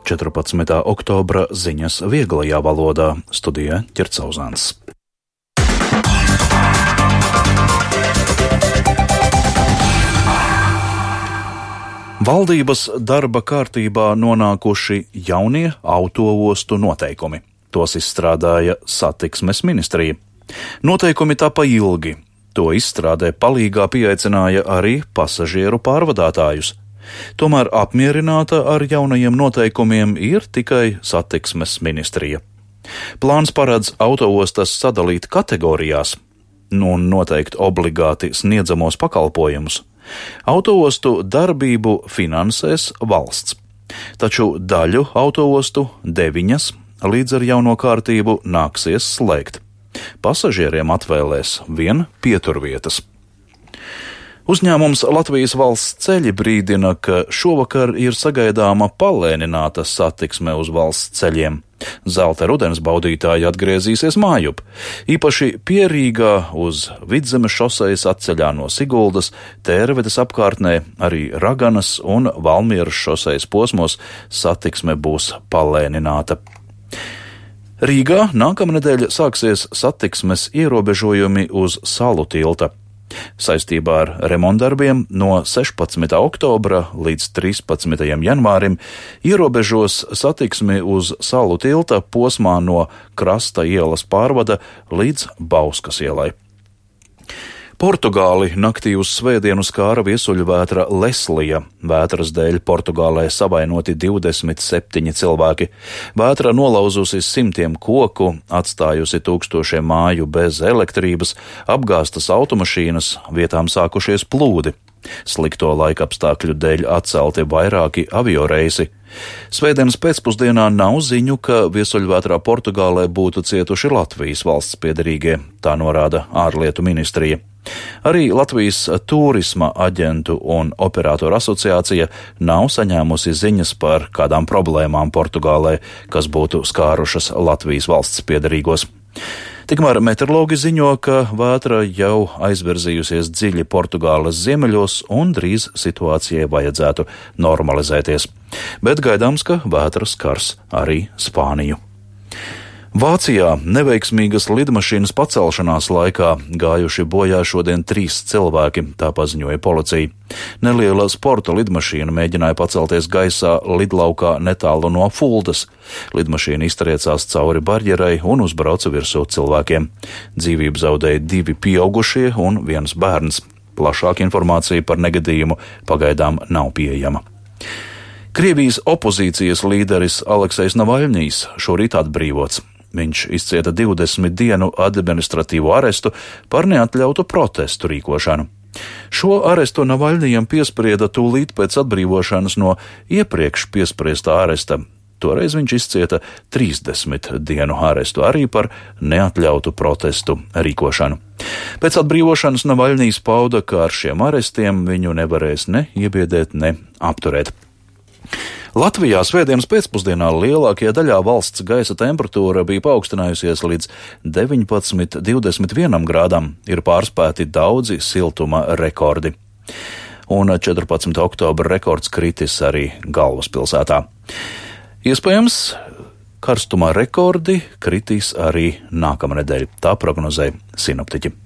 14. oktobra ziņas vieglajā valodā, studijā Ķercauzāns. Valdības darba kārtībā nonākuši jaunie autoostu noteikumi. Tos izstrādāja Satiksmes ministrija. Noteikumi tapa ilgi. To izstrādē palīgā pieaicināja arī pasažieru pārvadātājus. Tomēr apmierināta ar jaunajiem noteikumiem ir tikai Satiksmes ministrija. Plāns paredz autoostas sadalīt kategorijās un noteikt obligāti sniedzamos pakalpojumus. Autoostu darbību finansēs valsts, taču daļu autoostu, 9, līdz ar jauno kārtību nāksies slēgt. Pasažieriem atvēlēs vien pieturvietas. Uzņēmums Latvijas valsts ceļi brīdina, ka šovakar ir sagaidāma palēnināta satiksme uz valsts ceļiem. Zelta rudens baudītāji atgriezīsies mājup. Īpaši pie Rīgā uz Vidzemes šosejas atceļā no Siguldas, Tērvedes apkārtnē, arī Raganas un Valmieras šosejas posmos satiksme būs palēnināta. Rīgā nākamnedēļ sāksies satiksmes ierobežojumi uz Salu tilta. Saistībā ar remontdarbiem no 16. oktobra līdz 13. janvārim ierobežos satiksmi uz Salu tilta posmā no Krasta ielas pārvada līdz Bauskas ielai. Portugāli naktī uz svētdienu skāra viesuļvētra Leslija. Vētras dēļ Portugālē savainoti 27 cilvēki. Vētra nolauzusi simtiem koku, atstājusi tūkstošiem māju bez elektrības, apgāstas automašīnas, vietām sākušies plūdi. Slikto laikapstākļu dēļ atcelti vairāki avioreisi. Svētdienas pēcpusdienā nav ziņu, ka viesuļvētrā Portugālē būtu cietuši Latvijas valsts piederīgie, tā norāda ārlietu ministrija. Arī Latvijas turisma aģentu un operātoru asociācija nav saņēmusi ziņas par kādām problēmām Portugālē, kas būtu skārušas Latvijas valsts piederīgos. Tikmēr meteorologi ziņo, ka vētra jau aizvirzījusies dziļi Portugāles ziemeļos un drīz situācijai vajadzētu normalizēties. Bet gaidāms, ka vētra skars arī Spāniju. Vācijā neveiksmīgas lidmašīnas pacelšanās laikā gājuši bojā šodien 3 cilvēki, tā paziņoja policija. Neliela sporta lidmašīna mēģināja pacelties gaisā lidlaukā netālu no Fuldas. Lidmašīna iztriecās cauri barjerai un uzbrauca virsū cilvēkiem. Dzīvību zaudēja 2 pieaugušie un 1 bērns. Plašāka informācija par negadījumu pagaidām nav pieejama. Krievijas opozīcijas līderis Aleksejs Navaļņijs šorīt atbrīvots. Viņš izcieta 20 dienu administratīvo arestu par neatļautu protestu rīkošanu. Šo arestu Navaļņijam piesprieda tūlīt pēc atbrīvošanas no iepriekš piespriestā aresta. Toreiz viņš izcieta 30 dienu arestu arī par neatļautu protestu rīkošanu. Pēc atbrīvošanas Navaļņijs pauda, ka ar šiem arestiem viņu nevarēs ne iebiedēt, ne apturēt. Latvijā svētdienas pēcpusdienā lielākajā daļā valsts gaisa temperatūra bija paaugstinājusies līdz 19,21 grādam, ir pārspēti daudzi siltuma rekordi. Un 14. oktobra rekords kritis arī galvaspilsētā. Iespējams, karstuma rekordi kritīs arī nākamnedēļ, tā prognozē sinoptiķi.